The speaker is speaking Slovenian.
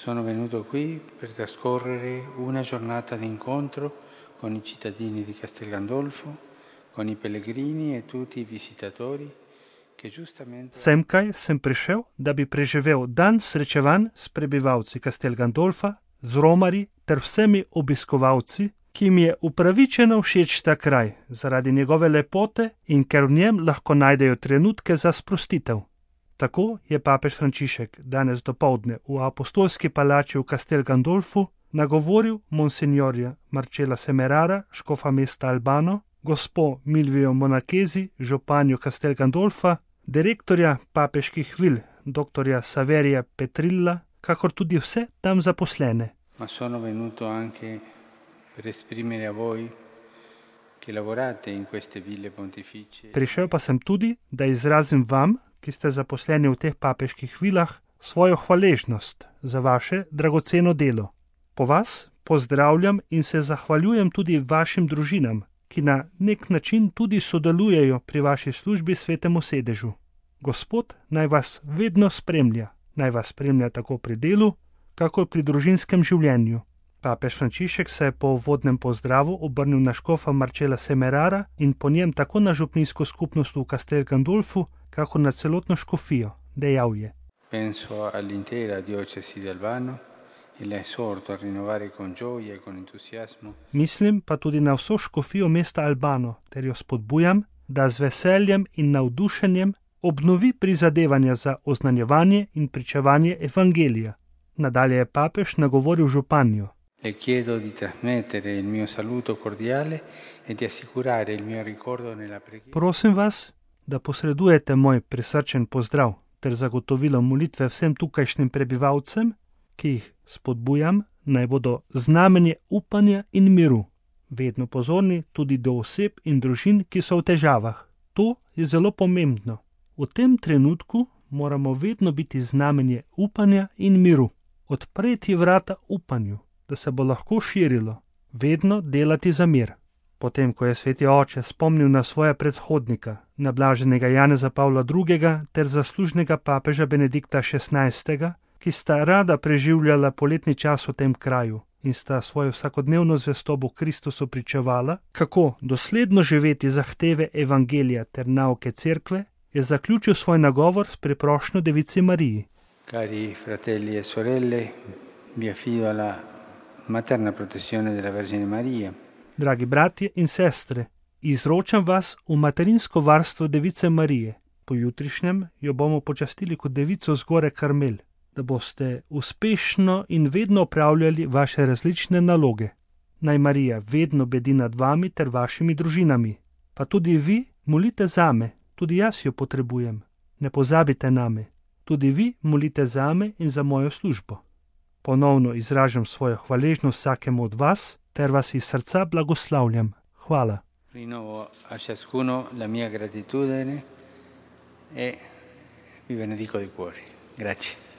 Sono venuto qui per trascorrere una giornata di incontro con i cittadini di Castel Gandolfo, con i pellegrini e tutti i visitatori che giustamente... Semkaj sem prišel, da bi preživel dan srečevanj s prebivalci Castel Gandolfa, z romarji ter vsemi obiskovalci, ki mi je upravičeno všeč ta kraj zaradi njegove lepote in ker v njem lahko najdejo trenutke za sprostitev. Tako je papež Frančišek danes dopoldne v apostolski palači v Castel Gandolfu nagovoril monsignorja Marcela Semerara, škofa mesta Albano, gospo Milvijo Monachesi, županjo Castel Gandolfa, direktorja papeških vil, doktorja Saverija Petrilla, kakor tudi vse tam zaposlene. Ma sono venuto anche per esprimere a voi che lavorate in queste ville pontificie. Prišel pa sem tudi, da izrazim vam, ki ste zaposleni v teh papeških vilah, svojo hvaležnost za vaše dragoceno delo. Po vas pozdravljam in se zahvaljujem tudi vašim družinam, ki na nek način tudi sodelujejo pri vaši službi Svetemu sedežu. Gospod naj vas vedno spremlja, naj vas spremlja tako pri delu, kakor pri družinskem življenju. Papež Frančišek se je po uvodnem pozdravu obrnil na škofa Marcela Semerara in po njem tako na župnijsko skupnost v Castel Gandolfu, kakor na celotno škofijo, dejal je. Penso all'intera diocesi di Albano e la esorto a rinnovare con gioia e con entusiasmo. Mislim pa tudi na vso škofijo mesta Albano, ter jo spodbujam, da z veseljem in navdušenjem obnovi prizadevanja za oznanjevanje in pričevanje evangelija. Nadalje je papež nagovoril županjo. Le chiedo di trasmettere il mio saluto cordiale e di assicurare il mio ricordo nella preghiera. Prosim vas, da posredujete moj prisrčen pozdrav ter zagotovilo molitve vsem tukajšnjim prebivalcem, ki jih spodbujam, naj bodo znamenje upanja in miru, vedno pozorni tudi do oseb in družin, ki so v težavah. To je zelo pomembno. V tem trenutku moramo vedno biti znamenje upanja in miru. Odpreti vrata upanju, da se bo lahko širilo, vedno delati za mir. Potem, ko je sveti oče spomnil na svoja predhodnika, na blaženega Janeza Pavla II. Ter zaslužnega papeža Benedikta XVI., ki sta rada preživljala poletni čas v tem kraju in sta svojo vsakodnevno zvestobo Kristusu pričevala, kako dosledno živeti zahteve evangelija ter nauke cerkve, je zaključil svoj nagovor s priprošnjo Devici Mariji. Cari fratelli e sorelle, vi affido alla materna protezione della Vergine Maria. Dragi bratje in sestre, izročam vas v materinsko varstvo Device Marije. Po jutrišnjem jo bomo počastili kot devico z gore Karmel, da boste uspešno in vedno opravljali vaše različne naloge. Naj Marija vedno bedi nad vami ter vašimi družinami. Pa tudi vi molite zame, tudi jaz jo potrebujem. Ne pozabite name. Tudi vi molite zame in za mojo službo. Ponovno izražam svojo hvaležnost vsakemu od vas, ter vas iz srca blagoslavljam. Hvala. Rinnovo a ciascuno la mia gratitudine e vi benedico di cuore. Grazie.